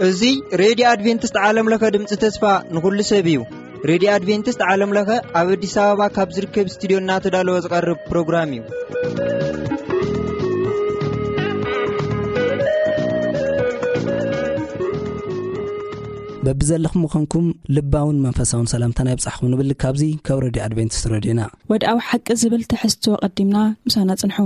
እዚ ሬድዮ ኣድቬንቲስት ዓለም ለኸ ድምፂ ተስፋ ንኹሉ ሰብ እዩ። ሬድዮ ኣድቬንቲስት ዓለም ለኸ ኣብ ኣዲስ ኣበባ ካብ ዝርከብ ስቱዲዮ እናተዳለወ ዝቐርብ ፕሮግራም እዩ። በብዘለኹም ምዃንኩም ልባውን መንፈሳውን ሰላምታና ይብጻሕኩም ንብል ካብዚ ካብ ሬድዮ ኣድቬንቲስት ሬድዮና። ወድኣዊ ሓቂ ዝብል ትሕዝቶ ቀዲምና ምሳና ጽንሑ።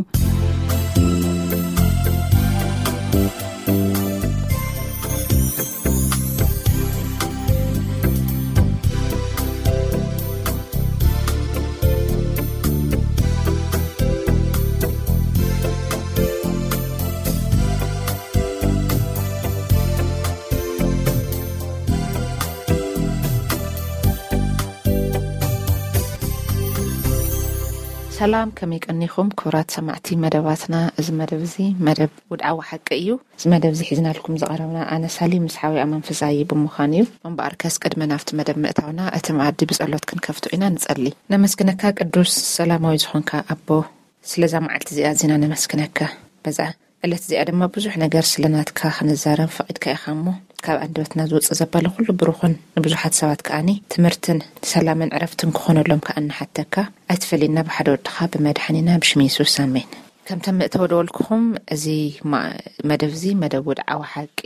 ሰላም፣ ከመይ ቀኒኹም ክቡራት ሰማዕቲ መደባትና? እዚ መደብ እዚ መደብ ውድዓዊ ሓቂ እዩ። እዚ መደብ እዚ ሒዝናልኩም ዝቐረብና ኣነ ሳሊ ምስ ሓውያ መንፈሳዊ ብምዃን እዩ። እምበኣርከስ ቅድሚ ናብቲ መደብ ምእታውና እቲ መኣዲ ብጸሎት ክንከፍቶ ኢና። ንጸሊ። ነመስግነካ ቅዱስ ሰላማዊ ዝኾንካ ኣቦ፣ ስለዛ መዓልቲ እዚኣ ኣዚና ነመስግነካ። በዛ ዕለት እዚኣ ድማ ብዙሕ ነገር ስለ ናትካ ክንዛረብ ፈቒድካ ኢኻ እሞ፣ ካብ ኣንደበትና ዝወጽእ ዘበለ ኩሉ ብሩኽን ንብዙሓት ሰባት ከኣኒ ትምህርትን ሰላምን ዕረፍትን ክኾነሎም ከኣ ንሓተካ። ኣይትፈለየና ብሓደ ወድኻ ብመድሓኒና ብሽም የሱስ ኣሜን። ከምቲ መእተዊ ደወልኩኹም፣ እዚ ማ-፣ መደብ እዚ መደብ ወድዓዊ ሓቂ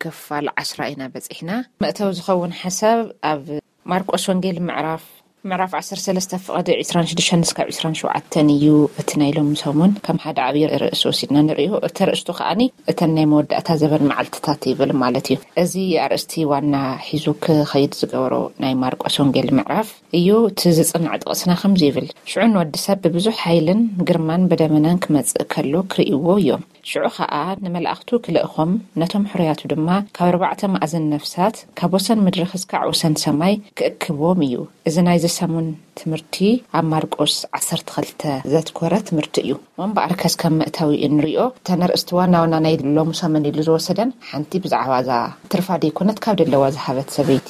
ክፋል ዓስራ ኢና በጺሕና። መእተዊ ዝኸውን ሓሳብ ኣብ ማርቆስ ወንጌል ምዕራፍ፣ ምዕራፍ ዓሰርተ ሰለስተ ፍቕዲ ዕስራን ሽዱሽተን እስካብ ዕስራን ሸውዓተን እዩ። እቲ ናይ ሎሚ ሰሙን ከም ሓደ ዓብዪ ርእሲ ወሲድና ንርእዮ። እቲ ኣርእስቱ ከኣኒ እተን ናይ መወዳእታ ዘበን መዓልትታት ይብል ማለት እዩ። እዚ ኣርእስቲ ዋና ሒዙ ክኸይድ ዝገበሮ ናይ ማርቆስ ወንጌል ምዕራፍ እዩ። እቲ ዝጽናዕ ጥቕስና ከምዚ ይብል፣ "ሽዑ ንወዲ ሰብ ብብዙሕ ሓይልን ግርማን ብደመናን ክመጽእ ከሎ ክርእይዎ እዮም። ሽዑ ኸኣ ንመላእኽቱ ክልእኾም፣ ነቶም ሕሩያቱ ድማ ካብ ኣርባዕተ ማእዝን ነፍሳት፣ ካብ ወሰን ምድሪ ክስካዕ ወሰን ሰማይ ክእክብዎም እዩ።" እዚ ናይዚ ሰሙን ትምህርቲ ኣብ ማርቆስ ዓሰርተ ክልተ ዘትኮረ ትምህርቲ እዩ። እሞ እምበኣርከስ ከም መእተዊ እንሪኦ፣ እተን ኣርእስቲ ዋና ዋና ናይ ሎሚ ሰሙን ኢሉ ዝወሰደን፣ ሓንቲ ብዛዕባ እዛ ትርፋ ደይኮነት ካብ ደለዋ ዝሃበት ሰበይቲ፣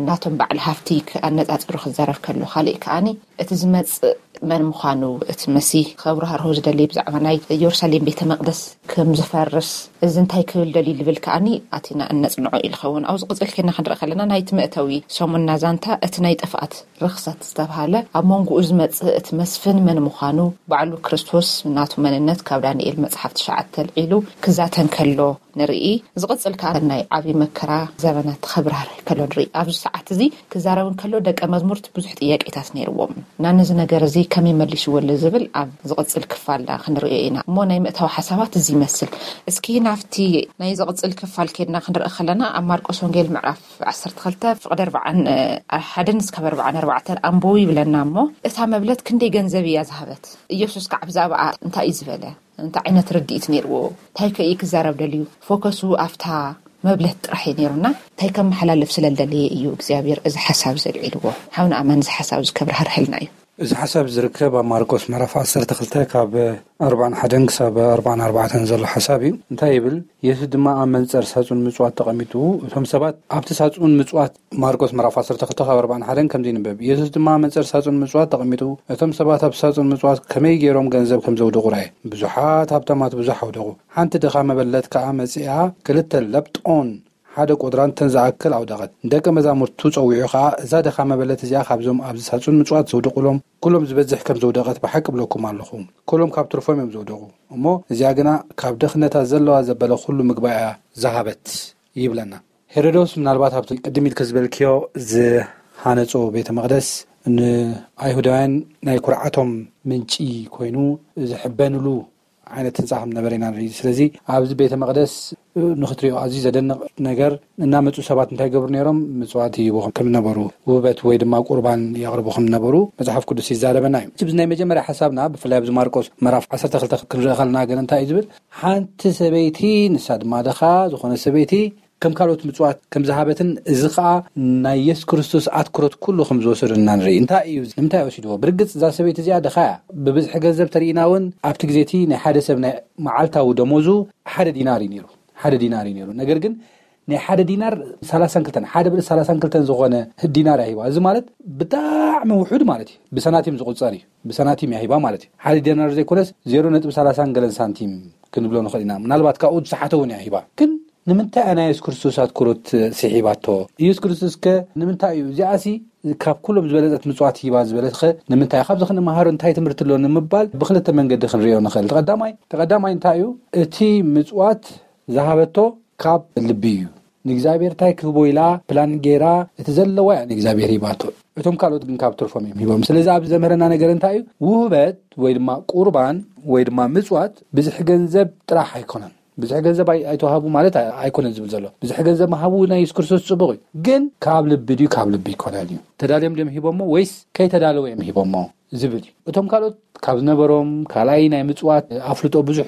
ናቶም በዓል ሃፍቲ ኣነጻጺሩ ክዛረብ ከሎ፣ ካልእ ከኣኒ እቲ ዝመጽእ መን ምዃኑ እቲ መሲህ ከብርሃርሆ ዝደሊ ብዛዕባ ናይ ኢየሩሳሌም ቤተ መቕደስ ከም ዝፈርስ፣ እዚ እንታይ ክብል ደልዩ ዝብል ከኣኒ ኣቲና እነጽንዖ እዩ ዝኸውን። ኣብዚ ቅጽል ኬድና ክንርኢ ከለና ናይቲ መእተዊ ሰሙንና ዛንታ እቲ ናይ ጥፍኣት ርኽሰት ዝተብሃለ ኣብ መንጎኡ ዝመጽእ እቲ መስፍን መን ምዃኑ፣ ባዕሉ ክርስቶስ ናቱ መንነት ካብ ዳንኤል መጽሓፍ ትሽዓተ ኣልዒሉ ክዛተ እንከሎ ንርኢ። ዝቕጽል ከኣ ናይ ዓቢ መከራ ዘበናት ክብራህርህ ከሎ ንርኢ። ኣብዚ ሰዓት እዚ ክዛረብ እንከሎ ደቀ መዝሙርት ብዙሕ ጥያቄታት ነይርዎም። እና ነዚ ነገር እዚ ከመይ መሊስዎ ኣሎ ዝብል ኣብ ዝቕጽል ክፋልና ክንርእዮ ኢና። እሞ ናይ ምእታው ሓሳባት እዚ ይመስል። እስኪ ናብቲ ናይ ዝቕጽል ክፋል ኬድና ክንርኢ ከለና ኣብ ማርቆስ ወንጌል ምዕራፍ ዓሰርተ ክልተ ፍቕዲ ኣርባዓን ሓደን እስካብ ኣርባዓን ኣርባዕተን ኣንብቡ ይብለና። እሞ እታ መብለት ክንደይ ገንዘብ እያ ዝሃበት? ኢየሱስ ከኣ ብዛዕባኣ እንታይ እዩ ዝበለ? እንታይ ዓይነት ርድኢት ነይርዎ? እንታይ ከ እዩ ክዛረብ ደልዩ? ፎከሱ ኣብታ መብለት ጥራሕ እዩ ነይሩና እንታይ ከመሓላልፍ ስለ ዝደለየ እዩ እግዚኣብሔር እዚ ሓሳብ ዘልዒልዎ? ሓውና ኣማን እዚ ሓሳብ እዚ ከብርሃርህልና እዩ። እዚ ሓሳብ ዝርከብ ኣብ ማርቆስ ምዕራፍ ዓሰርተ ክልተ ካብ ኣርባዓን ሓደን ክሳብ ኣርባዓን ኣርባዕተን ዘሎ ሓሳብ እዩ። እንታይ ይብል? የሱስ ድማ ኣብ መንጸር ሳጹን ምጽዋት ተቐሚጡ፣ እቶም ሰባት ኣብቲ ሳጹን ምጽዋት፣ ማርቆስ ምዕራፍ ዓሰርተ ክልተ ካብ ኣርባዓን ሓደን ከምዚ ይንበብ፣ የሱስ ድማ ኣብ መንጸር ሳጹን ምጽዋት ተቐሚጡ፣ እቶም ሰባት ኣብቲ ሳጹን ምጽዋት ከመይ ገይሮም ገንዘብ ከም ዘውደቑ ረኣየ። ብዙሓት ሃብታማት ብዙሕ ኣውደቑ፣ ሓንቲ ድኻ መበለት ከኣ መጺኣ ክልተ ለብጦን ሓደ ቁድራን ተን ዝኣክል ኣውደቐት። ንደቀ መዛሙርቱ ጸዊዑ ኸኣ፣ እዛ ድኻ መበለት እዚኣ ኻብዞም ኣብዚ ሳጹን ምጽዋት ዘውደቑሎም ኩሎም ዝበዝሕ ከም ዘውደቐት ብሓቂ እብለኩም ኣለኹ። ኩሎም ካብ ትርፎም እዮም ዘውደቑ። እሞ እዚኣ ግና ካብ ድኽነታ ዘለዋ ዘበለ ኩሉ ምግባ እያ ዝሃበት ይብለና። ሄሮዶስ ምናልባት ኣብቲ ቅድም ኢልኪ ዝበልክዮ ዝሃነጾ ቤተ መቕደስ ንኣይሁዳውያን ናይ ኩርዓቶም ምንጪ ኮይኑ ዝሕበንሉ ዓይነት ህንጻ ከም ነበረ ኢና ንርኢ። ስለዚ ኣብዚ ቤተ መቕደስ ንኽትሪኦ ኣዝዩ ዘደንቕ ነገር፣ እናመጹ ሰባት እንታይ ይገብሩ ነይሮም? ምጽዋት ይህቡ ከም ነበሩ፣ ውህበት ወይ ድማ ቁርባን የቕርቡ ከም ነበሩ መጽሓፍ ቅዱስ ይዛረበና እዩ። እዚ ናይ መጀመርያ ሓሳብና፣ ብፍላይ ኣብዚ ማርቆስ ምዕራፍ ዓሰርተ ክልተ ክንርኢ ከለና ግን እንታይ እዩ ዝብል? ሓንቲ ሰበይቲ፣ ንሳ ድማ ድኻ ዝኾነ ሰበይቲ ከም ካልኦት ምጽዋት ከም ዝሃበትን እዚ ኸኣ ናይ የሱስ ክርስቶስ ኣትኩሮት ኩሉ ከም ዝወሰደና ንርኢ። እንታይ እዩ? ንምንታይ ወሲድዎ? ብርግጽ እዛ ሰበይቲ እዚኣ ድኻ እያ። ብብዝሒ ገንዘብ ተርኢና እውን ኣብቲ ግዜ እቲ ናይ ሓደ ሰብ ናይ መዓልታዊ ደሞዙ ሓደ ዲናር እዩ ነይሩ። ሓደ ዲናር እዩ ነይሩ። ነገር ግን ናይ ሓደ ዲናር ሰላሳን ክልተን ሓደ ብልእ ሰላሳን ክልተን ዝኾነ ዲናር እያ ሂባ። እዚ ማለት ብጣዕሚ ውሑድ ማለት እዩ። ብሰናቲም ዝቁጸር እዩ። ብሰናቲም እያ ሂባ ማለት እዩ። ሓደ ዲናር ዘይኮነስ ዜሮ ነጥቢ ሰላሳን ገለን ሳንቲም ክንብሎ ንኽእል ኢና። ምናልባት ካብኡ ዝሰሓተ እውን እያ ሂባ። ግን ንምንታይ እያ ናይ የሱስ ክርስቶስ ኣትኩሮት ስሒባቶ? ኢየሱስ ክርስቶስ ከ ንምንታይ እዩ እዚኣሲ ካብ ኩሎም ዝበለጸት ምጽዋት ሂባ ዝበለትኸ ንምንታይ? ካብዚ ክንመሃሮ እንታይ ትምህርቲ ኣሎ ንምባል ብክልተ መንገዲ ክንሪኦ ንኽእል። ተቐዳማይ ተቐዳማይ እንታይ እዩ? እቲ ምጽዋት ዝሃበቶ ካብ ልቢ እዩ። ንእግዚኣብሔር እንታይ ክህቦ ኢላ ፕላን ገይራ እቲ ዘለዋ እያ ንእግዚኣብሔር ሂባቶ። እቶም ካልኦት ግን ካብ ትርፎም እዮም ሂቦም። ስለዚ ኣብዚ ዘምህረና ነገር እንታይ እዩ? ውህበት ወይ ድማ ቁርባን ወይ ድማ ምጽዋት ብዝሒ ገንዘብ ጥራሕ ኣይኮነን። ብዝሒ ገንዘብ ኣይ- ኣይተዋህቡ ማለት ኣይ- ኣይኮነን ዝብል ዘሎ። ብዝሒ ገንዘብ ምሃቡ ናይ የሱስ ክርስቶስ ጽቡቕ እዩ። ግን ካብ ልቢ ድዩ ካብ ልቢ ኣይኮነን እዩ? ተዳልዮም ድዮም ሂቦሞ ወይስ ከይተዳለወ እዮም ሂቦሞ ዝብል እዩ። እቶም ካልኦት ካብ ዝነበሮም ካልኣይ ናይ ምጽዋት ኣፍልጦ ብዙሕ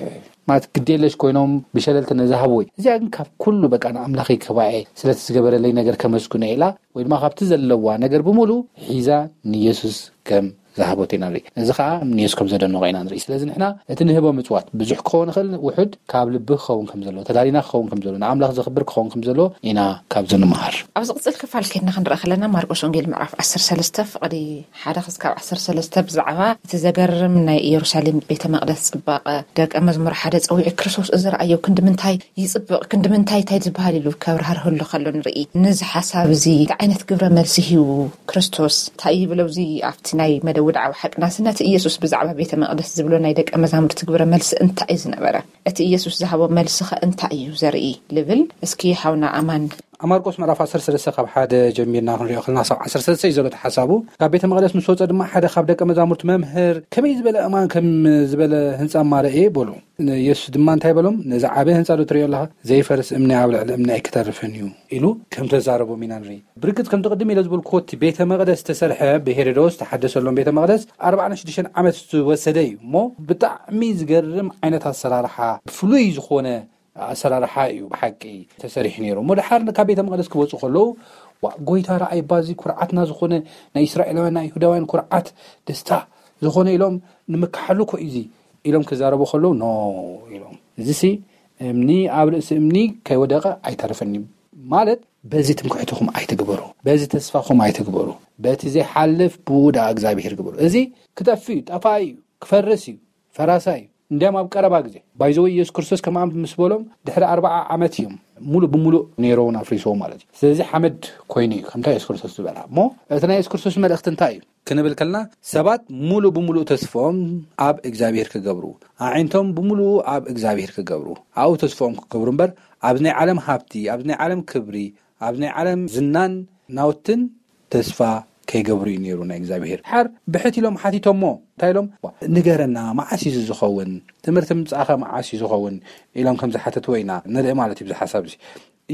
ማለት ግዴለሽ ኮይኖም ብሸለልትነት ዝሃብዎ እዩ። እዚኣ ግን ካብ ኩሉ በቃ ንኣምላኸይ ከባኤ ስለቲ ዝገበረለይ ነገር ከመስግኖ ኢላ ወይ ድማ ካብቲ ዘለዋ ነገር ብምሉ ሒዛ ንየሱስ ከም ዝሃቦት ኢና ንርኢ። እዚ ከዓ ንየሱስ ከም ዘደነቆ ኢና ንርኢ። ስለዚ ንሕና እቲ ንህቦ ምጽዋት ብዙሕ ክኸውን ይኽእል፣ ውሑድ ካብ ልቢ ክኸውን ከም ዘለዎ፣ ተዳሊና ክኸውን ከም ዘለዎ፣ ንኣምላኽ ዘኽብር ክኸውን ከም ዘለዎ ኢና ካብዚ ንምሃር። ኣብ ዝቕጽል ክፋል ከድና ክንርኢ ከለና ማርቆስ ወንጌል ምዕራፍ ዓሰርተ ሰለስተ ፍቕዲ ሓደ ክስካብ ዓሰርተ ሰለስተ ብዛዕባ እቲ ዘገርም ናይ ኢየሩሳሌም ቤተ መቕደስ ጽባቐ ደቀ መዝሙር ሓደ ጸዊዑ ክርስቶስ እዚ ረኣዮ ክንዲ ምንታይ ይጽብቕ ክንዲ ምንታይ እንታይ ዝበሃል ኢሉ ከብርሃርህሉ ከሎ ንርኢ። ነዚ ሓሳብ እዚ እንታይ ዓይነት ግብረ መልሲ ሂቡ ክርስቶስ እንታይ ይብሎ? እዚ ኣብቲ ናይ መደብ ውድዓዊ ሓቅናስ ነቲ ኢየሱስ ብዛዕባ ቤተ መቕደስ ዝብሎ ናይ ደቀ መዛሙርቲ ግብረ መልሲ እንታይ እዩ ዝነበረ? እቲ ኢየሱስ ዝሃቦ መልሲ ኸ እንታይ እዩ ዘርኢ? ልብል እስኪ ሓውና ኣማን ኣብ ማርቆስ ምዕራፍ ዓሰርተ ሰለስተ ካብ ሓደ ጀሚርና ክንሪኦ ከለና ክሳብ ዓሰርተ ሰለስተ እዩ ዘሎ እቲ ሓሳቡ። ካብ ቤተ መቕደስ ምስ ወፀ ድማ ሓደ ካብ ደቀ መዛሙርቲ መምህር ከመይ ዝበለ እማን ከም ዝበለ ህንፃ እማ ረእየ በሉ። ንየሱስ ድማ እንታይ በሎም? ነዚ ዓበ ህንፃ ዶ ትሪኦ ኣለኻ? ዘይፈርስ እምኒ ኣብ ልዕሊ እምኒ ኣይክተርፍን እዩ ኢሉ ከም ተዛረቦም ኢና ንርኢ። ብርግፅ ከምቲ ቅድም ኢለ ዝበልኩዎ እቲ ቤተ መቕደስ ዝተሰርሐ ብሄሮዶስ ዝተሓደሰሎም ቤተ መቕደስ ኣርባዓን ሽዱሽተን ዓመት ዝወሰደ እዩ እሞ ብጣዕሚ ዝገርም ዓይነት ኣሰራርሓ ብፍሉይ ዝኾነ ኣሰራርሓ እዩ ብሓቂ ተሰሪሑ ነይሩ። እሞ ድሓር ካብ ቤተ መቕደስ ክወፁ ከለዉ ዋ ጎይታ ረኣይ ባዚ ኩርዓትና ዝኾነ ናይ እስራኤላውያን ናይ ይሁዳውያን ኩርዓት ደስታ ዝኾነ ኢሎም ንምካሓሉ እኮ እዩ እዚ ኢሎም ክዛረቡ ከለዉ ኖ ኢሎም እዚሲ እምኒ ኣብ ርእሲ እምኒ ከይወደቐ ኣይተርፍን እዩ ማለት በዚ ትምክሕትኹም ኣይትግበሩ፣ በዚ ተስፋኹም ኣይትግበሩ፣ በቲ ዘይሓልፍ ብኡ ደኣ እግዚኣብሔር ግበሩ። እዚ ክጠፍእ እዩ፣ ጠፋኢ እዩ፣ ክፈርስ እዩ፣ ፈራሳይ እዩ። እንዲያም ኣብ ቀረባ ግዜ ባይዘወ ኢየሱስ ክርስቶስ ከምኣ ምስ በሎም ድሕሪ ኣርባዓ ዓመት እዮም ሙሉእ ብሙሉእ ነይሮውን ኣፍሪስዎ ማለት እዩ። ስለዚ ሓመድ ኮይኑ እዩ ከምታ የሱስ ክርስቶስ ዝበላ እሞ እቲ ናይ የሱስ ክርስቶስ መልእኽቲ እንታይ እዩ? ክንብል ከልና ሰባት ሙሉእ ብሙሉእ ተስፎም ኣብ እግዚኣብሔር ክገብሩ ኣዒንቶም ብምሉኡ ኣብ እግዚኣብሔር ክገብሩ ኣብኡ ተስፎኦም ክገብሩ እምበር ኣብዚ ናይ ዓለም ሃብቲ ኣብዚ ናይ ዓለም ክብሪ ኣብዚ ናይ ዓለም ዝናን ናውትን ተስፋ ከይገብሩ እዩ ነይሩ ናይ እግዚኣብሔር ሓር ብሕት ኢሎም ሓቲቶሞ እንታይ ኢሎም ንገረና መዓስ እዩ ዝኸውን ትምህርቲ ምምፃእኸ መዓስ እዩ ዝኸውን ኢሎም ከም ዝሓተትዎ ኢና ንርኢ ማለት እዩ ብዚ ሓሳብ እዚ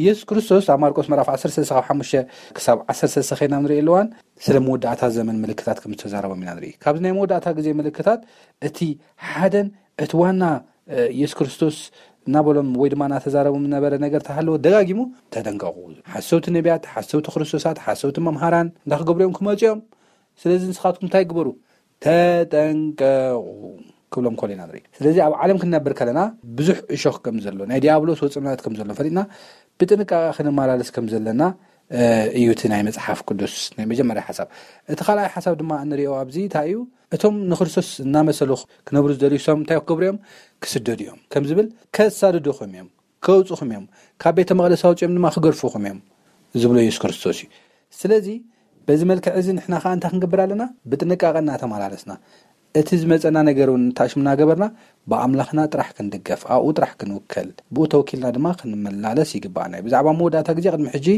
ኢየሱስ ክርስቶስ ኣብ ማርቆስ ምዕራፍ ዓሰርተ ሰለስተ ካብ ሓሙሽተ ክሳብ ዓሰርተ ሰለስተ ኸይና ንርኢ ኣለዋን ስለ መወዳእታ ዘመን ምልክታት ከም ዝተዛረቦም ኢና ንርኢ። ካብዚ ናይ መወዳእታ ግዜ ምልክታት እቲ ሓደን እቲ ዋና ኢየሱስ ክርስቶስ እናበሎም ወይ ድማ እናተዛረቦም ዝነበረ ነገር ተሃለወ ደጋጊሙ ተጠንቀቑ። ሓሰውቲ ነቢያት፣ ሓሰውቲ ክርስቶሳት፣ ሓሰውቲ መምሃራን እንዳክገብሩ እዮም ክመፁ እዮም። ስለዚ ንስኻትኩም እንታይ ግበሩ? ተጠንቀቑ ክብሎም ከሎ ኢና ንርኢ። ስለዚ ኣብ ዓለም ክንነብር ከለና ብዙሕ እሾኽ ከም ዘሎ ናይ ዲያብሎስ ወፅምናት ከም ዘሎ ፈሊጥና ብጥንቃቐ ክንመላለስ ከም ዘለና እዩ እቲ ናይ መፅሓፍ ቅዱስ ናይ መጀመርያ ሓሳብ። እቲ ካልኣይ ሓሳብ ድማ እንሪኦ ኣብዚ እንታይ እዩ? እቶም ንክርስቶስ እናመሰሉ ክነብሩ ዝደልዩ ሰብ እንታይ ክገብሩ እዮም? ክስደዱ እዮም ከም ዝብል ከሳድዱኹም እዮም፣ ከውፅኹም እዮም፣ ካብ ቤተ መቕደስ ኣውፅኦም ድማ ክገድፉኹም እዮም ዝብሎ የሱስ ክርስቶስ እዩ። ስለዚ በዚ መልክዕ እዚ ንሕና ከዓ እንታይ ክንገብር ኣለና? ብጥንቃቐ እናተመላለስና እቲ ዝመፀና ነገር እውን እንታሽም እናገበርና ብኣምላኽና ጥራሕ ክንድገፍ ኣብኡ ጥራሕ ክንውከል ብኡ ተወኪልና ድማ ክንመላለስ ይግባኣና እዩ። ብዛዕባ መወዳእታ ግዜ ቅድሚ ሕጂ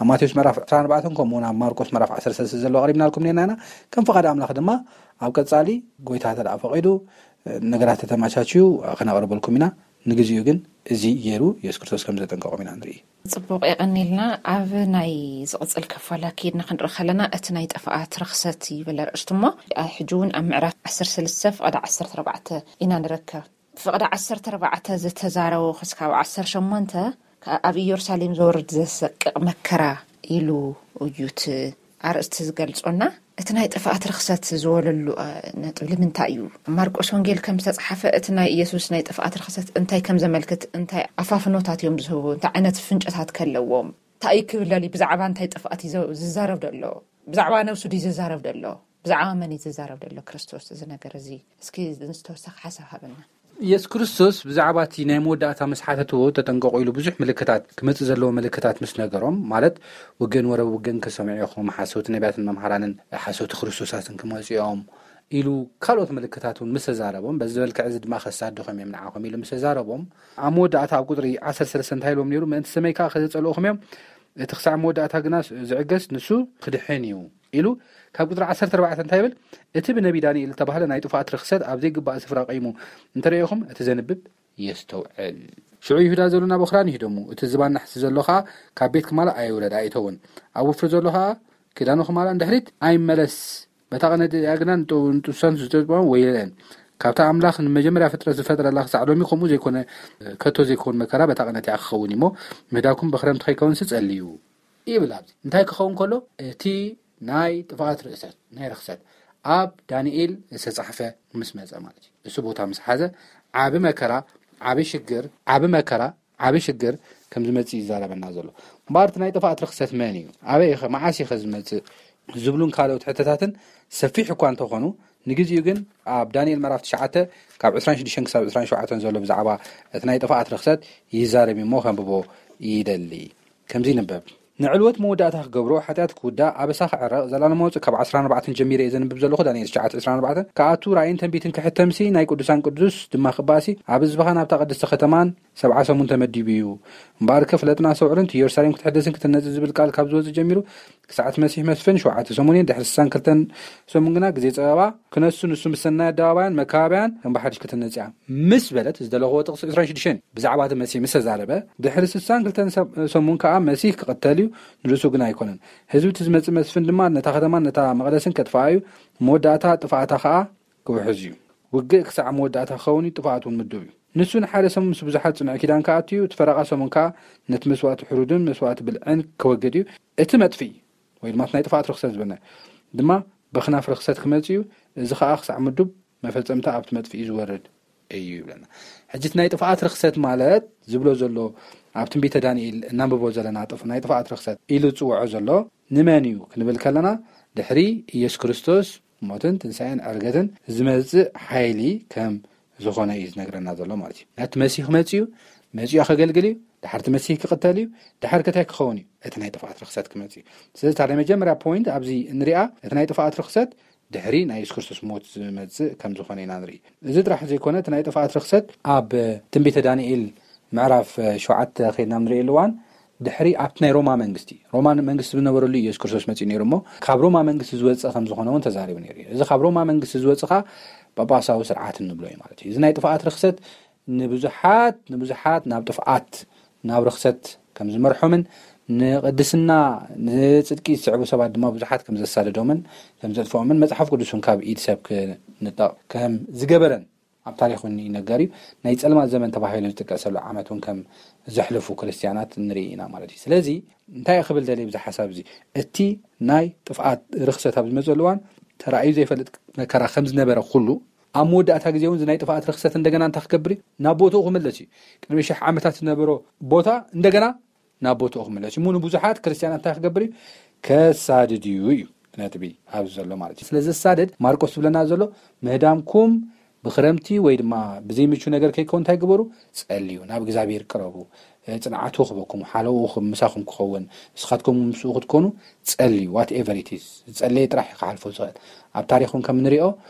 ኣብ ማቴዎስ ምዕራፍ ዕስራን ኣርባዕተን ከምኡውን ኣብ ማርቆስ ምዕራፍ ዓሰርተ ሰለስተ ዘለዋ ኣቕሪብናልኩም ነርና ኢና። ከም ፍቓድ ኣምላኽ ድማ ኣብ ቀጻሊ ጎይታ ተደኣ ፈቒዱ ነገራት ተተማቻችዩ ክነቕርበልኩም ኢና። ንግዚኡ ግን እዚ ገይሩ የሱስ ክርስቶስ ከም ዘጠንቀቖም ኢና ንርኢ። ጽቡቕ የቐኒልና። ኣብ ናይ ዝቕጽል ክፋላ ከይድና ክንርኢ ከለና እቲ ናይ ጠፋኣት ርኽሰት ይብል ኣርእስቲ እሞ ሕጂ እውን ኣብ ምዕራፍ ዓሰርተ ሰለስተ ፍቐዲ ዓሰርተ ኣርባዕተ ኢና ንረከብ። ፍቕዲ ዓሰርተ ኣርባዕተ ዝተዛረቡ ክስካብ ዓሰርተ ሸሞንተ ኣብ ኢየሩሳሌም ዘወርድ ዘሰቅቕ መከራ ኢሉ እዩ እቲ ኣርእስቲ ዝገልጾና። እቲ ናይ ጥፍኣት ርኽሰት ዝበለሉ ነጥብ ንምንታይ እዩ? ማርቆስ ወንጌል ከም ዝተፅሓፈ እቲ ናይ ኢየሱስ ናይ ጥፍኣት ርኽሰት እንታይ ከም ዘመልክት፣ እንታይ ኣፋፍኖታት እዮም ዝህቡ፣ እንታይ ዓይነት ፍንጨታት ከለዎም፣ እንታይ እዩ ክብለል፣ ብዛዕባ እንታይ ጥፍኣት እዩ ዝዛረብ ዘሎ? ብዛዕባ ነብሱ ድዩ ዝዛረብ ዘሎ? ብዛዕባ መን እዩ ዝዛረብ ዘሎ ክርስቶስ? እዚ ነገር እዚ እስኪ ንዝተወሰኸ ሓሳብ ሃበና። ኢየሱስ ክርስቶስ ብዛዕባ እቲ ናይ መወዳእታ ምስ ሓተትዎ፣ "ተጠንቀቑ" ኢሉ ብዙሕ ምልክታት፣ ክመጽእ ዘለዎ ምልክታት ምስ ነገሮም፣ ማለት ውግእን ወረብ ውግእን ክሰምዑ ኢኹም፣ ሓሰውቲ ነቢያትን መምሃራንን ሓሰውቲ ክርስቶሳትን ክመጹ እዮም ኢሉ ካልኦት ምልክታት እውን ምስ ተዛረቦም፣ በዚ መልክዕ እዚ ድማ ከሳድኹም እዮም ንዓኹም ኢሉ ምስ ተዛረቦም፣ ኣብ መወዳእታ ኣብ ቁጽሪ ዓሰርተ ሰለስተ እንታይ ኢሎም ነይሩ? "ምእንቲ ስመይ ከኣ ከዘጸልኡኹም እዮም፣ እቲ ክሳዕ መወዳእታ ግና ዝዕገስ ንሱ ክድሕን እዩ" ኢሉ ካብ ቁጽሪ ዓሰርተ ኣርባዕተ እንታይ ይብል? "እቲ ብነቢ ዳንኤል ዝተባህለ ናይ ጥፍኣት ርኽሰት ኣብ ዘይግባእ ስፍራ ቀይሙ እንተረኤኹም፣ እቲ ዘንብብ የስተውዕል። ሽዑ ይሁዳ ዘሎ ናብ ኦኽራን ይህደሙ፣ እቲ ዝባን ናሕሲ ዘሎ ኸኣ ካብ ቤት ክማላ ኣይውረድ ኣይእተውን፣ ኣብ ወፍሪ ዘሎ ኸኣ ክዳኑ ክማላ ንድሕሪት ኣይመለስ። በታ ቀነዲ እያ ግና ንጡ-፣ ንጡሳን ዝጠጥዋ ወይለን። ካብታ ኣምላኽ ንመጀመርያ ፍጥረት ዝፈጥረላ ክሳዕ ሎሚ ከምኡ ዘይኮነ፣ ከቶ ዘይከውን መከራ በታ ቀነዲ እያ ክኸውን እሞ፣ ምህዳኩም ብኽረምቲ ከይከውንሲ ጸልዩ" ይብል። ኣብዚ እንታይ ክኸውን ከሎ? እቲ ናይ ጥፍኣት ርእሰት፣ ናይ ርኽሰት ኣብ ዳንኤል ዝተጻሕፈ ምስ መጸ ማለት እዩ። እሱ ቦታ ምስ ሓዘ፣ ዓቢ መከራ፣ ዓቢ ሽግር፣ ዓቢ መከራ፣ ዓቢ ሽግር ከም ዝመጽእ ይዛረበና ዘሎ። እምበኣር እቲ ናይ ጥፍኣት ርኽሰት መን እዩ? ኣበይ ኢኸ፣ መዓስ ኢኸ ዝመጽእ? ዝብሉን ካልኦት ሕቶታትን ሰፊሕ እኳ እንተኾኑ፣ ንግዜኡ ግን ኣብ ዳንኤል ምዕራፍ ትሽዓተ ካብ ዕስራን ሽዱሽተን ክሳብ ዕስራን ሸውዓተን ዘሎ ብዛዕባ እቲ ናይ ጥፍኣት ርኽሰት ይዛረብ እዩ እሞ ከንብቦ ይደሊ። ከምዚ ይንበብ። ንዕልወት መወዳእታ ክገብሮ፣ ሓጢኣት ክውዳእ፣ ኣበሳ ክዕረቕ፣ ዘላለማዊ ጽ-፣ ካብ ዓሰርተ ኣርባዕተ ጀሚረ እየ ዘንብብ ዘለኹ፣ ዳንኤል ትሽዓተ ዕስራን ኣርባዕተን፣ ክኣቱ ራእይን ትንቢትን ክሕተምሲ፣ ናይ ቅዱሳን ቅዱስ ድማ ክባእሲ፣ ኣብ ህዝብኻ ናብታ ቅድስቲ ከተማን ሰብዓ ሰሙን ተመዲቡ እዩ። እምበኣርከ ፍለጥና ሰውዕርን፣ እቲ ኢየሩሳሌም ክትሕደስን ክትነጽ ዝብል ቃል ካብ ዝወጽእ ጀሚሩ፣ ክሳዕ እቲ መሲሕ መስፍን ሸውዓተ ሰሙን እየን፣ ድሕሪ ስሳን ክልተን ሰሙን ግና ግዜ ጸበባ ክነሱ፣ ንሱ ምስ ሰናይ ኣደባባያን መካባብያን ከም ብሓድሽ ክትነጽ እያ። ምስ በለት ዝደለኽዎ ጥቕሲ ዕስራን ሽዱሽተን ብዛዕባ እቲ መሲህ ምስ ተዛረበ፣ ድሕሪ ስሳን ክልተን ሰብ-፣ ሰሙን ከኣ መሲህ ክቕተል እዩ፣ ንርእሱ ግን ኣይኮነን። ህዝቢ እቲ ዝመጽእ መስፍን ድማ ነታ ከተማን ነታ መቕደስን ከጥፍኣ እዩ፣ መወዳእታ ጥፍኣታ ከኣ ክውሕዝ እዩ። ውግእ ክሳዕ መወዳእታ ክኸውን እዩ፣ ጥፍኣት እውን ምዱብ እዩ። ንሱ ንሓደ ሰሙን ምስ ብዙሓት ጽኑዕ ኪዳን ክኣቱ እዩ፣ እቲ ፈረቓ ሰሙን ከኣ ነቲ መስዋእቲ ሕሩድን መስዋእቲ ብልዕን ክወግድ እዩ። እቲ መጥፍኢ ወይ ድማ እቲ ናይ ጥፍኣት ርኽሰት ዝበልና ድማ በኽናፍ ርኽሰት ክመጽእ እዩ። እዚ ከኣ ክሳዕ ምዱብ መፈጸምታ ኣብቲ መጥፍኢ ዝወርድ እዩ ይብለና። ሕጂ እቲ ናይ ጥፍኣት ርኽሰት ማለት ዝብሎ ዘሎ ኣብ ትንቢተ ዳንኤል እናንብቦ ዘለና ጥፍ-፣ ናይ ጥፍኣት ርኽሰት ኢሉ ዝጽውዖ ዘሎ ንመን እዩ ክንብል ከለና ድሕሪ ኢየሱስ ክርስቶስ ሞትን ትንሳኤን ዕርገትን ዝመጽእ ሓይሊ ከም ዝኾነ እዩ ዝነግረና ዘሎ ማለት እዩ። እቲ መሲህ ክመጽእ እዩ፣ መጺኡ ከገልግል እዩ፣ ድሓር እቲ መሲህ ክቕተል እዩ፣ ድሓር ከታይ ክኸውን እዩ? እቲ ናይ ጥፍኣት ርኽሰት ክመጽእ እዩ። ስለዚ እታ ናይ መጀመርያ ፖይንት ኣብዚ እንሪኣ እቲ ናይ ጥፍኣት ርኽሰት ድሕሪ ናይ የሱስ ክርስቶስ ሞት ዝመጽእ ከም ዝኾነ ኢና ንርኢ። እዚ ጥራሕ ዘይኮነ እቲ ናይ ጥፍኣት ርኽሰት ኣብ ትንቢተ ዳንኤል ምዕራፍ ሸውዓተ ኸይድና ንርእየሉ እዋን ድሕሪ ኣብቲ ናይ ሮማ መንግስቲ፣ ሮማ መንግስቲ ዝነበረሉ ኢየሱስ ክርስቶስ መጺኡ ነይሩ እሞ ካብ ሮማ መንግስቲ ዝወጽእ ከም ዝኾነ እውን ተዛሪቡ ነይሩ እዩ። እዚ ካብ ሮማ መንግስቲ ዝወጽእ ኸኣ ጳጳሳዊ ስርዓት እንብሎ እዩ ማለት እዩ። እዚ ናይ ጥፍኣት ርኽሰት ንብዙሓት ንብዙሓት ናብ ጥፍኣት ናብ ርኽሰት ከም ዝመርሖምን ንቅድስና ንጽድቂ ዝስዕቡ ሰባት ድማ ብዙሓት ከም ዘሳደዶምን ከም ዘጥፍኦምን መጽሓፍ ቅዱስ እውን ካብ ኢድ ሰብ ክንጠቕ ከም ዝገበረን ኣብ ታሪኽ እውን ይነገር እዩ። ናይ ጸልማት ዘመን ተባሂሉ ዝጥቀሰሉ ዓመት እውን ከም ዘሕልፉ ክርስትያናት ንርኢ ኢና ማለት እዩ። ስለዚ እንታይ ክብል ደልየ ብዚ ሓሳብ እዚ? እቲ ናይ ጥፍኣት ርኽሰት ኣብ ዝመጸሉ እዋን ተራእዩ ዘይፈልጥ መከራ ከም ዝነበረ ኩሉ ኣብ መወዳእታ ግዜ እውን እዚ ናይ ጥፍኣት ርኽሰት እንደገና እንታይ ክገብር እዩ? ናብ ቦትኡ ክምለስ እዩ። ቅድሚ ሽሕ ዓመታት ዝነበሮ ቦታ እንደገና ናብ ቦትኡ ክምለስ እዩ። እሞ ንብዙሓት ክርስትያናት እንታይ ክገብር እዩ? ከሳድድ እዩ እዩ ነጥቢ ኣብዚ ዘሎ ማለት እዩ። ስለ ዘሳድድ ማርቆስ ዝብለና ዘሎ ምህዳምኩም ብክረምቲ ወይ ድማ ብዘይምቹ ነገር ከይከውን እንታይ ግበሩ? ጸልዩ፣ ናብ እግዚኣብሔር ቅረቡ፣ እ፣ ጽንዓቱ ክበኩም፣ ሓለውኡ ክብ-፣ ምሳኹም ክኸውን፣ ንስኻትኩም ምስኡ ክትኮኑ ጸልዩ። Whatever it is፣ ዝጸለየ ጥራሕ እዩ ክሓልፎ ዝኽእል። ኣብ ታሪኽን ከም ንሪኦ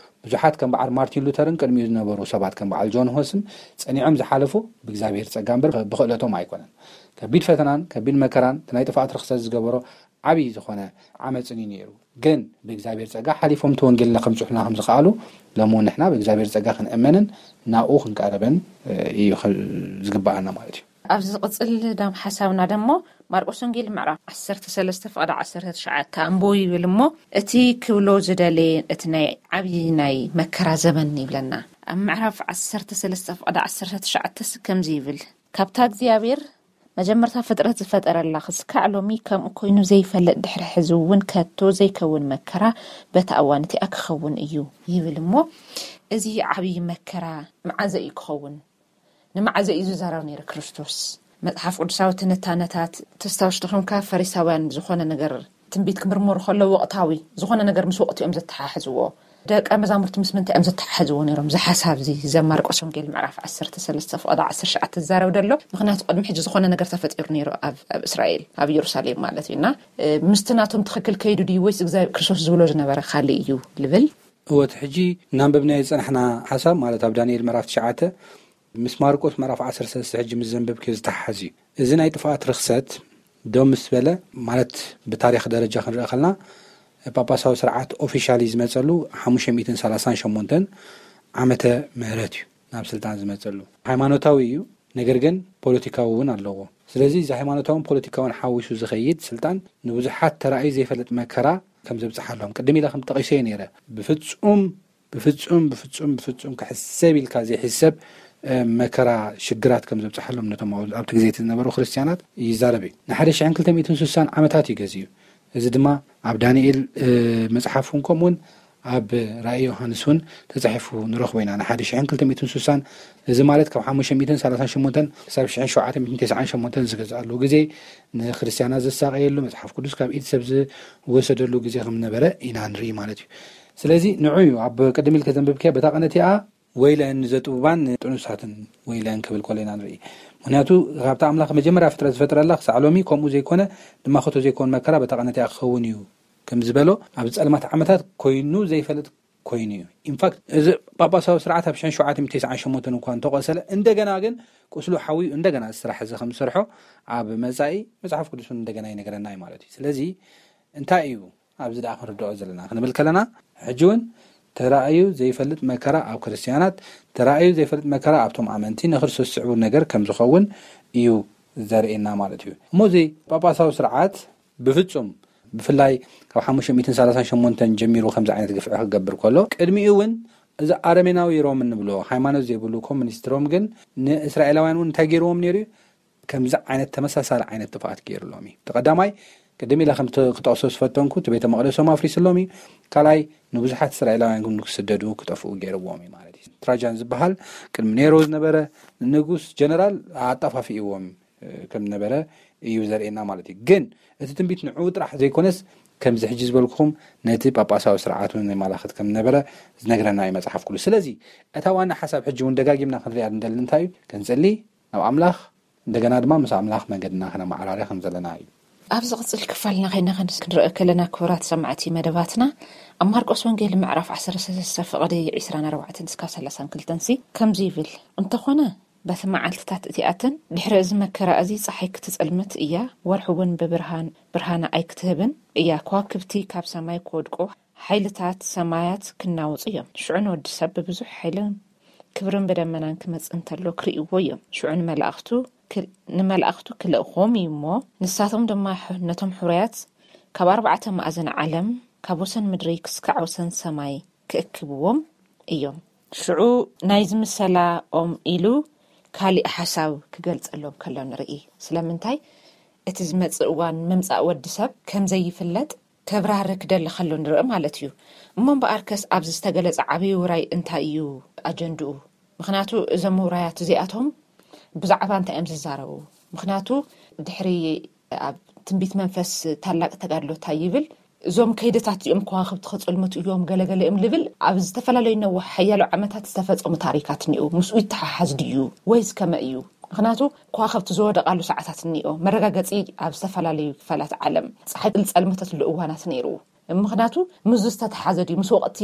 ብዙሓት ከም በዓል ማርቲን ሉተርን ቅድሚኡ ዝነበሩ ሰባት ከም በዓል ጆን ሆስን ጸኒዖም ዝሓለፉ ብእግዚኣብሔር ጸጋ እምበር ብኽእለቶም ኣይኮነን። ከቢድ ፈተናን ከቢድ መከራን እቲ ናይ ጥፍኣት ርኽሰት ዝገበሮ ዓብዪ ዝኾነ ዓመፅን እዩ ነይሩ። ግን ብእግዚኣብሔር ጸጋ ሓሊፎም እቲ ወንጌልና ከምጽሑልና ከም ዝኸኣሉ ሎሚ እውን ንሕና ብእግዚኣብሔር ጸጋ ክንእመንን ናብኡ ክንቀርብን እዩ ዝግብኣና ማለት እዩ። ኣብዚ ዝቕጽል ዳም ሓሳብና ደሞ ማርቆስ ወንጌል ምዕራፍ ዓሰርተ ሰለስተ ፍቕዲ ዓሰርተ ትሽዓተ ኣንብቡ ይብል እሞ እቲ ክብሎ ዝደለየ እቲ ናይ ዓብዪ ናይ መከራ ዘመን ይብለና። ኣብ ምዕራፍ ዓሰርተ ሰለስተ ፍቕዲ ዓሰርተ ትሽዓተ ስ-፣ ከምዚ ይብል፣ ካብታ እግዚኣብሔር መጀመርታ ፍጥረት ዝፈጠረላ ክስካዕ ሎሚ ከምኡ ኮይኑ ዘይፈልጥ ድሕሪ ሕዚ እውን ከቶ ዘይከውን መከራ በታ እዋን እቲኣ ክኸውን እዩ ይብል እሞ፣ እዚ ዓብዪ መከራ መዓዘ እዩ ክኸውን? ንመዓዘ እዩ ዝዛረብ ነይሩ ክርስቶስ? መጽሓፍ ቅዱሳዊ ትንታነታት ተስታውሽ ድኹምካ ፈሪሳውያን ዝኾነ ነገር ትንቢት ክምርምሩ ከለዉ ወቕታዊ ዝኾነ ነገር ምስ ወቕቲ እዮም ዘተሓሕዝዎ። ደቀ መዛሙርቲ ምስ ምንታይ እዮም ዘተሓሕዝዎ ነይሮም? እዚ ሓሳብ እዚ ዘማርቆስ ወንጌል ምዕራፍ ዓሰርተ ሰለስተ ፍቕዲ ዓሰርተ ትሽዓተ ዝዛረብ ዘሎ። ምኽንያቱ ቅድሚ ሕጂ ዝኾነ ነገር ተፈጢሩ ነይሩ ኣብ እስራኤል፣ ኣብ ኢየሩሳሌም ማለት እዩ። እና ምስቲ ናቶም ትኽክል ከይዱ ድዩ ወይስ እግዚኣብሔር ክርስቶስ ዝብሎ ዝነበረ ካልእ እዩ ልብል? እወት ሕጂ እናንበብናዮ ዝጸናሕና ሓሳብ ማለት ኣብ ዳንኤል ምዕራፍ ትሽዓተ ምስ ማርቆስ ምዕራፍ ዓሰርተ ሰለስተ ሕጂ ምስ ዘንበብክዮ ዝተሓሓዝ እዩ። እዚ ናይ ጥፍኣት ርኽሰት ደው ምስ በለ ማለት ብታሪኽ ደረጃ ክንርኢ ከለና ጳጳሳዊ ስርዓት ኦፊሻሊ ዝመፀሉ ሓሙሽተ ሚእትን ሰላሳን ሸሞንተን ዓመተ ምህረት እዩ ናብ ስልጣን ዝመፀሉ። ሃይማኖታዊ እዩ፣ ነገር ግን ፖለቲካዊ እውን ኣለዎ። ስለዚ እዚ ሃይማኖታውን ፖለቲካውን ሓዊሱ ዝኸይድ ስልጣን ንብዙሓት ተራእዩ ዘይፈልጥ መከራ ከም ዘብፅሓሎም ቅድም ኢለ ከም ጠቒሰዮ ነይረ። ብፍፁም ብፍፁም ብፍፁም ብፍፁም ክሕሰብ ኢልካ ዘይሕሰብ መከራ ሽግራት ከም ዘብፅሓሎም ነቶም ኣብቲ ግዜ ዝነበሩ ክርስትያናት ይዛረብ እዩ። ንሓደ ሽሕን ክልተ ሚእትን ስሳን ዓመታት እዩ ገዚኡ። እዚ ድማ ኣብ ዳንኤል መፅሓፍ እውን ከምኡውን ኣብ ራእይ ዮሃንስ እውን ተፃሒፉ ንረኽቦ ኢና። ንሓደ ሽሕን ክልተ ሚእትን ስሳን፣ እዚ ማለት ካብ ሓሙሽተ ሚእትን ሰላሳን ሸሞንተን ክሳብ ሽሕን ሸውዓተ ሚእትን ተስዓን ሸሞንተን ዝገዝኣሉ ግዜ፣ ንክርስትያናት ዘሳቀየሉ፣ መፅሓፍ ቅዱስ ካብ ኢድ ሰብ ዝወሰደሉ ግዜ ከም ነበረ ኢና ንርኢ ማለት እዩ። ስለዚ ንዑ እዩ ኣብ ቅድም ኢልከ ዘንብብከ በታ ቀነቲኣ ወይለን ንዘጥቡባን ንጥኑሳትን ወይለን ክብል ከሎ ኢና ንርኢ። ምክንያቱ ካብቲ ኣምላኽ መጀመርያ ፍጥረት ዝፈጥረላ ክሳዕ ሎሚ ከምኡ ዘይኮነ፣ ድማ ከቶ ዘይኮን መከራ በታ ቀነቲኣ ክኸውን እዩ ከም ዝበሎ ኣብ ጸልማት ዓመታት ኮይኑ ዘይፈልጥ ኮይኑ እዩ። ኢንፋክት እዚ ጳጳሳዊ ስርዓት ኣብ ሽሕን ሸውዓተ ሚእትን ተስዓን ሸሞንተን እኳ እንተቆሰለ፣ እንደገና ግን ቁስሉ ሓውዩ እንደገና እዚ ስራሕ እዚ ከም ዝሰርሖ ኣብ መጻኢ መጽሓፍ ቅዱስ እውን እንደገና ይነግረና እዩ ማለት እዩ። ስለዚ እንታይ እዩ ኣብዚ ደኣ ክንርድኦ ዘለና ክንብል ከለና፣ ሕጂ እውን ተራእዩ ዘይፈልጥ መከራ ኣብ ክርስትያናት፣ ተራእዩ ዘይፈልጥ መከራ ኣብቶም ኣመንቲ ንክርስቶስ ዝስዕቡ ነገር ከም ዝኸውን እዩ ዘርእየና ማለት እዩ። እሞ እዚ ጳጳሳዊ ስርዓት ብፍጹም ብፍላይ ካብ ሓሙሽተ ሚእትን ሰላሳን ሸሞንተን ጀሚሩ ከምዚ ዓይነት ግፍዒ ክገብር ከሎ፣ ቅድሚኡ እውን እዚ ኣረሜናዊ ሮም እንብሎ ሃይማኖት ዘይብሉ ኮሙኒስት ሮም ግን ንእስራኤላውያን እውን እንታይ ገይርዎም ነይሩ እዩ? ከምዚ ዓይነት ተመሳሳሊ ዓይነት ጥፍኣት ገይርሎም እዩ። እቲ ቀዳማይ ቅድም ኢለ ከም ክጠቕሶ ዝፈተንኩ እቲ ቤተ መቕደሶም ኣፍሪስሎም እዩ። ካልኣይ ንብዙሓት እስራኤላውያን ግን ክስደዱ ክጠፍኡ ገይርዎም እዩ ማለት እዩ። ትራጃን ዝበሃል ቅድሚ ኔሮ ዝነበረ ንጉስ ጀነራል ኣጠፋፊእዎም ከም ነበረ እዩ ዘርእየና ማለት እዩ። ግን እቲ ትንቢት ንዕኡ ጥራሕ ዘይኮነስ ከምዚ ሕጂ ዝበልኩኹም ነቲ ጳጳሳዊ ስርዓት እውን የመላኽት ከም ነበረ ዝነግረና እዩ መጽሓፍ ቅዱስ። ስለዚ እታ ዋና ሓሳብ ሕጂ እውን ደጋጊምና ክንሪኣ እንደሊ እንታይ እዩ? ክንጽሊ ናብ ኣምላኽ፣ እንደገና ድማ ምስ ኣምላኽ መንገድና ከነመዓራርያ ከም ዘለና እዩ። ኣብ ዝቕጽል ክፋልና ከይና ክንስ ክንርኢ ከለና ክቡራት ሰማዕቲ መደባትና ኣብ ማርቆስ ወንጌል ምዕራፍ ዓሰርተ ሰለስተ ፍቕዲ ዕስራን ኣርባዕተን እስካብ ሰላሳን ክልተን ሲ ከምዚ ይብል፣ እንተኾነ በቲ መዓልትታት እቲኣተን ድሕሪ እዚ መከራ እዚ ጸሓይ ክትጸልምት እያ፣ ወርሒ እውን ብብርሃን ብርሃና ኣይክትህብን እያ፣ ከዋክብቲ ካብ ሰማይ ክወድቁ፣ ሓይልታት ሰማያት ክናወጹ እዮም። ሽዑ ንወዲ ሰብ ብብዙሕ ሓይልን ክብርን ብደመናን ክመጽእ እንተሎ ክርእይዎ እዮም። ሽዑ ንመላእኽቱ ክል- ንመላእኽቱ ክልእኾም እዩ እሞ፣ ንሳቶም ድማ ሕ- ነቶም ሕሩያት ካብ ኣርባዕተ ማእዘን ዓለም፣ ካብ ወሰን ምድሪ ክስካዕ ወሰን ሰማይ ክእክብዎም እዮም። ሽዑ ናይዚ ምሰላኦም ኢሉ ካሊእ ሓሳብ ክገልጸሎም ከሎ ንርኢ። ስለምንታይ እቲ ዝመጽእ እዋን ምምጻእ ወዲ ሰብ ከም ዘይፍለጥ ከብራህርህ ክደሊ ከሎ ንርኢ ማለት እዩ። እሞ እምበኣርከስ ኣብዚ ዝተገለጸ ዓብዪ ውራይ እንታይ እዩ ኣጀንድኡ? ምኽንያቱ እዞም ውራያት እዚኣቶም ብዛዕባ እንታይ እዮም ዝዛረቡ? ምኽንያቱ ድሕሪ ኣብ ትንቢት መንፈስ ታላቅ ተጋድሎ እንታይ ይብል? እዞም ከይደታት እዚኦም ከዋኽብቲ ከጸልምቱ እዮም ገለገለ እዮም ልብል ኣብ ዝተፈላለዩ ነዋሕ ሓያሎ ዓመታት ዝተፈጸሙ ታሪካት እኒኡ። ምስኡ ይተሓሓዝ ድዩ ወይስ ከመ እዩ? ምኽንያቱ ከዋኽብቲ ዝወደቓሉ ሰዓታት እኒኦ። መረጋገጺ ኣብ ዝተፈላለዩ ክፋላት ዓለም ጸሓይ ዝጸልመተትሉ እዋናት ነይሩ። ምኽንያቱ ምስ ዝተተሓዘ ድዩ ምስ ወቕቲ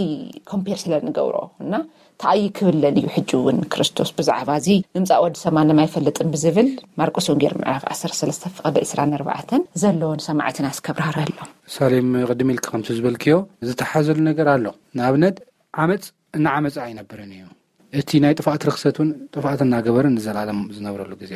ኮምፔር ስለ ንገብሮ እና ተኣይ ክብለል እዩ። ሕጂ እውን ክርስቶስ ብዛዕባ እዚ ምምፃእ ወዲ ሰብ ማንም ኣይፈልጥን ብዝብል ማርቆስ ወንጌል ምዕራፍ ዓሰርተ ሰለስተ ፍቕዲ ዕስራን ኣርባዕተን ዘለዎን ሰማዕትና እስከብራህረሎም። ሳሌም ቅድም ኢልክ ከምቲ ዝበልክዮ ዝተሓዘሉ ነገር ኣሎ። ንኣብነት ዓመፅ እናዓመፀ ኣይነብርን እዩ። እቲ ናይ ጥፍኣት ርክሰት እውን ጥፍኣት እናገበረ ንዘለኣለም ዝነብረሉ ግዜ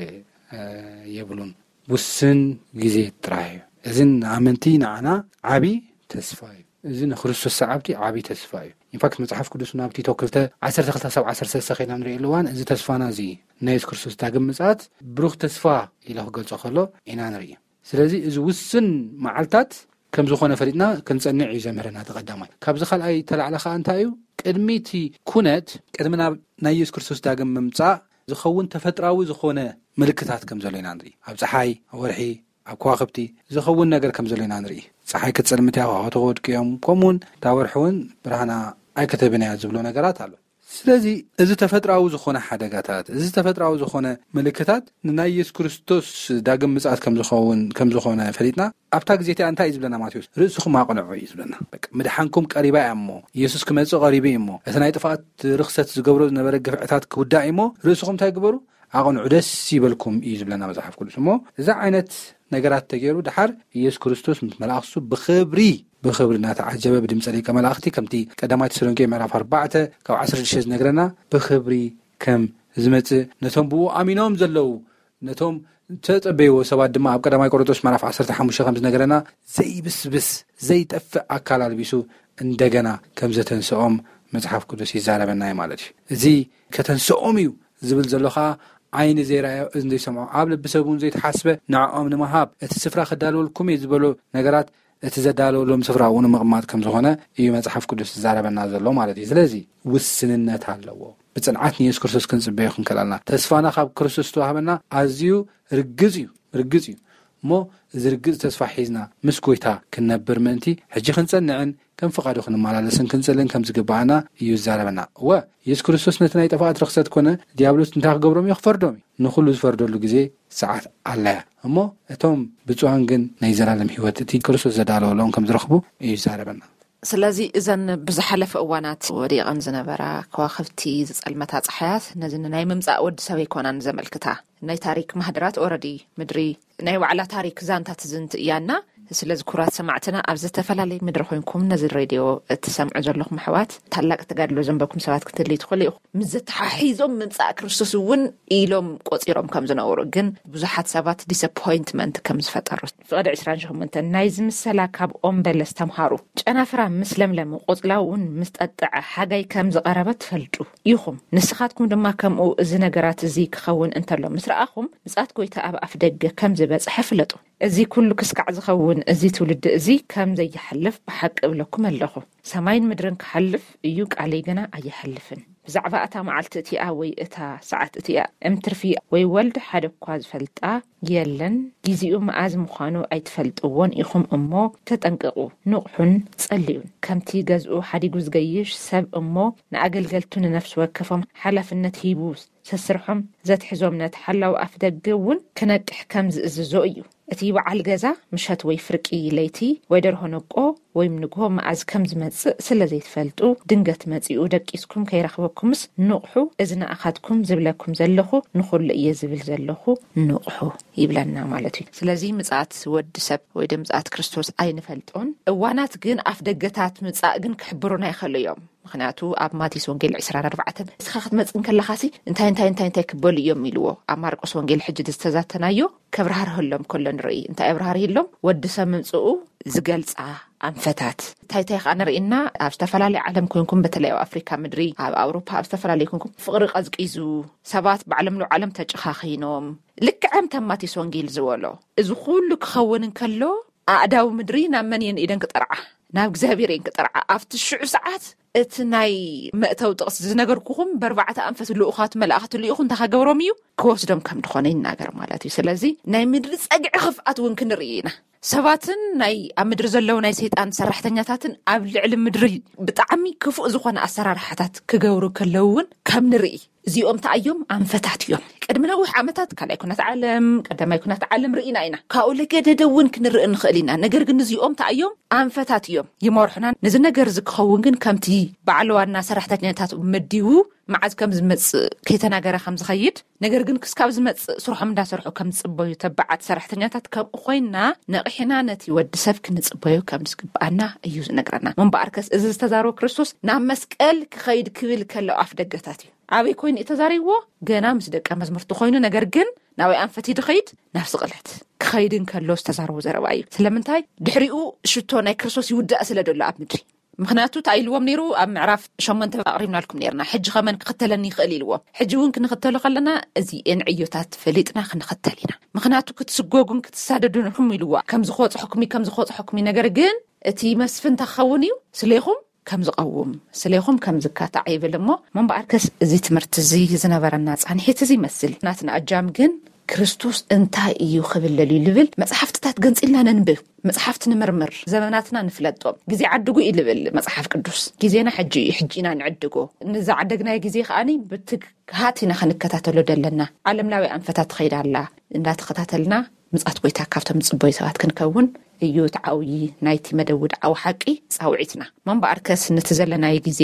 የብሉን። ውስን ግዜ ጥራሕ እዩ። እዚ ንኣመንቲ ንዓና ዓብዪ ተስፋ እዩ። እዚ ንክርስቶስ ሰዓብቲ ዓብዪ ተስፋ እዩ። ኢንፋክት መጽሓፍ ቅዱስ ናብ ቲቶ ክልተ ዓሰርተ ክልተ ሳብ ዓሰርተ ሰለስተ ኸይና ንሪኦ ኣለዋን፣ እዚ ተስፋና እዚ ናይ የሱስ ክርስቶስ ዳግም ምጽኣት ብሩኽ ተስፋ ኢለ ክገልጾ ከሎ ኢና ንርኢ። ስለዚ እዚ ውስን መዓልታት ከም ዝኾነ ፈሊጥና ክንጸንዕ እዩ ዘምህረና። ተቐዳማይ ካብዚ ካልኣይ ተላዕለ ከዓ እንታይ እዩ? ቅድሚ እቲ ኩነት ቅድሚ ናብ ናይ የሱስ ክርስቶስ ዳግም ምምጻእ ዝኸውን ተፈጥራዊ ዝኾነ ምልክታት ከም ዘሎ ኢና ንርኢ። ኣብ ፀሓይ፣ ኣብ ወርሒ፣ ኣብ ከዋክብቲ ዝኸውን ነገር ከም ዘሎ ኢና ንርኢ። ፀሓይ ክትፀልምት እያ፣ ከዋክብቲ ክወድቁ እዮም፣ ከምኡውን እታ ወርሒ እውን ብርሃና ኣይክትህብን እያ ዝብሎ ነገራት ኣሎ። ስለዚ እዚ ተፈጥራዊ ዝኾነ ሓደጋታት፣ እዚ ተፈጥራዊ ዝኾነ ምልክታት ንናይ የሱስ ክርስቶስ ዳግም ምጽኣት ከም ዝኸውን ከም ዝኾነ ፈሊጥና፣ ኣብታ ግዜ እቲኣ እንታይ እዩ ዝብለና ማቴዎስ? ርእስኹም ኣቕንዑ እዩ ዝብለና። በቃ ምድሓንኩም ቀሪባ እያ እሞ፣ ኢየሱስ ክመጽእ ቀሪቡ እዩ እሞ፣ እቲ ናይ ጥፍኣት ርኽሰት ዝገብሮ ዝነበረ ግፍዕታት ክውዳእ እዩ እሞ፣ ርእስኹም እንታይ ግበሩ? ኣቕንዑ፣ ደስ ይበልኩም እዩ ዝብለና መጽሓፍ ቅዱስ። እሞ እዚ ዓይነት ነገራት ተገይሩ፣ ድሓር ኢየሱስ ክርስቶስ ምስ መላእኽቱ ብኽብሪ ብኽብሪ እናተዓጀበ ብድምፀ ደቀ መላእኽቲ፣ ከምቲ ቀዳማይ ተሰሎንቄ ምዕራፍ ኣርባዕተ ካብ ዓሰርተ ሽዱሽተ ዝነግረና፣ ብኽብሪ ከም ዝመጽእ፣ ነቶም ብኡ ኣሚኖም ዘለዉ፣ ነቶም ተጸበይዎ ሰባት ድማ፣ ኣብ ቀዳማይ ቆሮንቶስ ምዕራፍ ዓሰርተ ሓሙሽተ ከም ዝነገረና፣ ዘይብስብስ ዘይጠፍእ ኣካል ኣልቢሱ እንደገና ከም ዘተንስኦም መጽሓፍ ቅዱስ ይዛረበና እዩ ማለት እዩ። እዚ ከተንስኦም እዩ ዝብል ዘሎ ኸኣ፣ ዓይኒ ዘይረኣዮ፣ እዝኒ ዘይሰምዖ፣ ኣብ ልቢ ሰብ እውን ዘይተሓስበ ንዕኦም ንምሃብ፣ እቲ ስፍራ ክዳለወልኩም እየ ዝበሎ ነገራት፣ እቲ ዘዳለወሎም ስፍራ እውን ምቕማጥ ከም ዝኾነ እዩ መጽሓፍ ቅዱስ ዝዛረበና ዘሎ ማለት እዩ። ስለዚ ውስንነት ኣለዎ። ብጽንዓት ንየሱስ ክርስቶስ ክንጽበዮ ክንክእል ኣለና። ተስፋና ካብ ክርስቶስ ዝተዋህበና ኣዝዩ ርግጽ እዩ፣ ርግጽ እዩ። እሞ እዚ ርግጽ ተስፋ ሒዝና ምስ ጎይታ ክንነብር ምእንቲ፣ ሕጂ ክንጸንዕን ከም ፍቓዱ ክንመላለስን ክንጽልን ከም ዝግብኣና እዩ ዝዛረበና። እወ፣ የሱስ ክርስቶስ ነቲ ናይ ጥፍኣት ርኽሰት ኮነ ዲያብሎስ እንታይ ክገብሮም እዩ? ክፈርዶም እዩ። ንኹሉ ዝፈርደሉ ግዜ ሰዓት ኣላያ። እሞ እቶም ብፁዓን ግን ናይ ዘላለም ህይወት እቲ ክርስቶስ ዘዳለወሎም ከም ዝረኽቡ እዩ ዝዛረበና። ስለዚ እዘን ብዝሓለፈ እዋናት ወዲቐን ዝነበራ ከዋኽብቲ፣ ዝጸልመታ ጸሓያት ነዚ ናይ ምምጻእ ወዲ ሰብ ኣይኮናን ዘመልክታ። ናይ ታሪክ ማህደራት ኦረዲ ምድሪ ናይ ባዕላ ታሪክ ዛንታ ትዝንቲ እያና። ስለዚ ክቡራት ሰማዕትና ኣብ ዝተፈላለየ ምድሪ ኮይንኩም ነዚ ሬድዮ እትሰምዑ ዘለኹም ኣሕዋት፣ ታላቅ ተጋድሎ ዘንበኩም ሰባት ክትህልዩ ትኽእሉ ኢኹም። ምስ ዘተሓሒዞም ምምጻእ ክርስቶስ እውን ኢሎም ቆጺሮም ከም ዝነበሩ፣ ግን ብዙሓት ሰባት ዲስኣፖይንትመንት ከም ዝፈጠሩ። ፍቕዲ ዕስራን ሸሞንተን ናይዚ ምሰላ ካብ ኦም በለስ ተምሃሩ። ጨናፍራ ምስ ለምለመ፣ ቆጽላ እውን ምስ ጠጥዐ፣ ሓጋይ ከም ዝቐረበ ትፈልጡ ኢኹም። ንስኻትኩም ድማ ከምኡ እዚ ነገራት እዚ ክኸውን እንተሎ ምስ ረኣኹም፣ ምጽኣት ጎይታ ኣብ ኣፍ ደገ ከም ዝበጽሐ ፍለጡ። እዚ ኩሉ ክስካዕ ዝኸውን እዚ ትውልዲ እዚ ከም ዘይሓልፍ ብሓቂ እብለኩም ኣለኹ። ሰማይን ምድርን ክሓልፍ እዩ፣ ቃለይ ገና ኣይሓልፍን። ብዛዕባ እታ መዓልቲ እቲኣ ወይ እታ ሰዓት እቲኣ እምትርፊ ወይ ወልድ ሓደ እኳ ዝፈልጣ የለን። ግዜኡ መኣዝ ምዃኑ ኣይትፈልጥዎን ኢኹም እሞ ተጠንቀቑ፣ ንቕሑን ጸልዩን። ከምቲ ገዝኡ ሓዲጉ ዝገይሽ ሰብ እሞ ንኣገልገልቱ ንነፍሲ ወከፎም ሓላፍነት ሂቡ ሰስርሖም ዘትሕዞም ነቲ ሓላው ኣፍ ደገ እውን ክነቅሕ ከም ዝእዝዞ እዩ። እቲ በዓል ገዛ ምሸት ወይ ፍርቂ ለይቲ ወይ ደርሆ ነቆ ወይ ንግሆ መኣዝ ከም ዝመጽእ ስለ ዘይትፈልጡ፣ ድንገት መጺኡ ደቂስኩም ከይረኽበኩምስ ንቕሑ፣ እዚ ንኣኻትኩም ዝብለኩም ዘለኹ ንኹሉ እየ ዝብል ዘለኹ፣ ንቕሑ ይብለና ማለት እዩ። ስለዚ ምጽኣት ወዲ ሰብ ወይ ደ ምጽኣት ክርስቶስ ኣይንፈልጦን። እዋናት ግን ኣፍ ደገታት ምጻእ ግን ክሕብሩና ይኽእሉ እዮም። ምኽንያቱ ኣብ ማቴዎስ ወንጌል ዕስራን ኣርባዕተን፣ "ንስኻ ክትመጽእ እንከለኻሲ እንታይ እንታይ እንታይ እንታይ ክበሉ እዮም?" ኢልዎ። ኣብ ማርቆስ ወንጌል ሕጂ ዝተዛተናዮ ከብራህርህሎም ከሎ ንርኢ። እንታይ ኣብራህርህሎም? ወዲ ሰብ ምምጽኡ ዝገልጻ ኣንፈታት እንታይ እንታይ ኸኣ ንርኢና? ኣብ ዝተፈላለየ ዓለም ኮንኩም፣ በተለይ ኣብ ኣፍሪካ ምድሪ፣ ኣብ ኣውሮፓ፣ ኣብ ዝተፈላለየ ኮንኩም፣ ፍቕሪ ቀዝቂዙ፣ ሰባት ባዕሎም ንባዕሎም ተጨኻኺኖም፣ ልክዕ ከምቲ ኣብ ማቴዎስ ወንጌል ዝበሎ፣ እዚ ኩሉ ክኸውን እንከሎ፣ ኣእዳው ምድሪ ናብ መን እየን ኢደን ክጠርዓ? ናብ እግዚኣብሔር እየን ክጠርዓ። ኣብቲ ሽዑ ሰዓት እቲ ናይ መእተዊ ጥቕሲ ዝነገርኩኹም ብኣርባዕተ ኣንፈት ልኡኻት መላእኽቲ ልኢኹ እንታይ ከገብሮም እዩ? ክወስዶም ከም ድኾነ ይናገር ማለት እዩ። ስለዚ ናይ ምድሪ ጸግዒ ክፍኣት እውን ክንርኢ ኢና። ሰባትን ናይ ኣብ ምድሪ ዘለዉ ናይ ሰይጣን ሰራሕተኛታትን ኣብ ልዕሊ ምድሪ ብጣዕሚ ክፉእ ዝኾነ ኣሰራርሓታት ክገብሩ ከለዉ እውን ከም ንርኢ፣ እዚኦም እንታይ እዮም? ኣንፈታት እዮም። ቅድሚ ነዊሕ ዓመታት ካልኣይ ኩናት ዓለም፣ ቀዳማይ ኩናት ዓለም ርኢና ኢና። ካብኡ ለገደደ እውን ክንርኢ ንኽእል ኢና። ነገር ግን እዚኦም እንታይ እዮም? ኣንፈታት እዮም። ይመርሑና። ነዚ ነገር እዚ ክኸውን ግን ከምቲ በዓል ዋና ሰራሕተኛታት መዲቡ መዓዝ ከም ዝመጽእ ከይተናገረ ከም ዝኸይድ፣ ነገር ግን ክስካብ ዝመጽእ ስርሖም እንዳሰርሑ ከም ዝጽበዩ ተባዓት ሰራሕተኛታት ከምኡ ኮይንና፣ ነቒሕና ነቲ ወዲ ሰብ ክንጽበዮ ከም ዝግብኣና እዩ ዝነግረና። ምንባኣርከስ እዚ ዝተዛረቦ ክርስቶስ ናብ መስቀል ክኸይድ ክብል ከሎ ኣፍ ደገታት እዩ። ኣበይ ኮይኑ እዩ ተዛሪብዎ? ገና ምስ ደቀ መዝሙርቲ ኮይኑ፣ ነገር ግን ናበይ ኣንፈት እዩ ድኸይድ? ናብ ስቕለት። ክኸይድ እንከሎ ዝተዛረቦ ዘረባ እዩ። ስለምንታይ? ድሕሪኡ ሽቶ ናይ ክርስቶስ ይውዳእ ስለ ዘሎ ኣብ ምድሪ። ምኽንያቱ እንታይ ኢልዎም ነይሩ? ኣብ ምዕራፍ ሸሞንተ ኣቕሪብናልኩም ነርና፣ ሕጂ ኸመን ክኽተለኒ ይኽእል ኢልዎም። ሕጂ እውን ክንኽተሎ ከለና እዚኤን ዕዮታት ፈሊጥና ክንኽተል ኢና። ምኽንያቱ ክትስጎጉን ክትሳደዱን ኢኹም ኢልዋ። ከም ዝኸወፅሐኩም እዩ፣ ከም ዝኸወፅሐኩም እዩ። ነገር ግን እቲ መስፍን እንታይ ክኸውን እዩ? ስሌኹም ከም ዝቐውም፣ ስሌኹም ከም ዝካታዕ ይብል። እሞ እምበኣርከስ እዚ ትምህርቲ እዚ ዝነበረና ፃንሒት እዚ ይመስል። ናትና እጃም ግን ክርስቶስ እንታይ እዩ ክብል ደልዩ ልብል መፅሓፍትታት ገንፂልና ነንብብ። መፅሓፍቲ ንምርምር፣ ዘመናትና ንፍለጦም። ግዜ ዓድጉ እዩ ልብል መፅሓፍ ቅዱስ። ግዜና ሕጂ እዩ፣ ሕጂ ኢና ንዕድጎ። ንዝዓደግናዮ ግዜ ከዓኒ ብትግሃት ኢና ክንከታተሎ ደለና። ዓለምላዊ ኣንፈታት ትኸይድ ኣላ። እንዳተኸታተልና ምጻት ጎይታ ካብቶም ዝጽበዩ ሰባት ክንከውን እዩ። እቲ ዓውዪ ናይቲ መደብ ውድዓዊ ሓቂ ጻውዒትና። እምበኣርከስ ነቲ ዘለናዮ ግዜ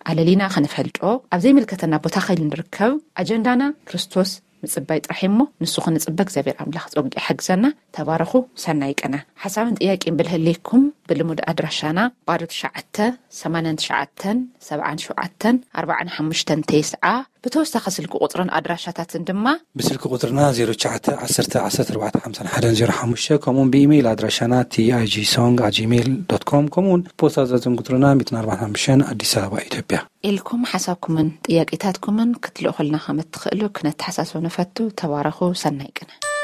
ኣለሊና ክንፈልጦ ኣብ ዘይምልከተና ቦታ ከይንርከብ ኣጀንዳና ክርስቶስ ምጽባይ ጥራሕ እሞ ንሱ ክንጽበ እግዚኣብሔር ኣምላኽ ጸጉ ይሓግዘና። ተባረኹ። ሰናይ ቅነ። ሓሳብን ጥያቄን ብልህሌኩም ብልሙድ ኣድራሻና ባዶ ትሽዓተ ሰማንያን ትሽዓተን ሰብዓን ሸውዓተን ኣርባዓን ሓሙሽተን ተስዓ፣ ብተወሳኺ ስልኪ ቁጽርን ኣድራሻታትን ድማ ብስልኪ ቁጽርና ዜሮ ትሽዓተ ዓሰርተ ዓሰርተ ኣርባዕተ ሓምሳን ሓደን ዜሮ ሓሙሽተ፣ ከምኡውን ብኢሜይል ኣድራሻና ቲ ኣይ ጂ ሶንግ ኣት ጂሜይል ዶት ኮም፣ ከምኡውን ፖስታ ዘዘን ቁጽርና ሚእትን ኣርባዕን ሓሙሽተን፣ ኣዲስ ኣበባ፣ ኢትዮጵያ። ኢልኩም ሓሳብኩምን ጥያቄታትኩምን ክትልእኹልና ከም እትኽእሉ ክነተሓሳስብ ንፈቱ። ተባረኹ። ሰናይ ቅነ።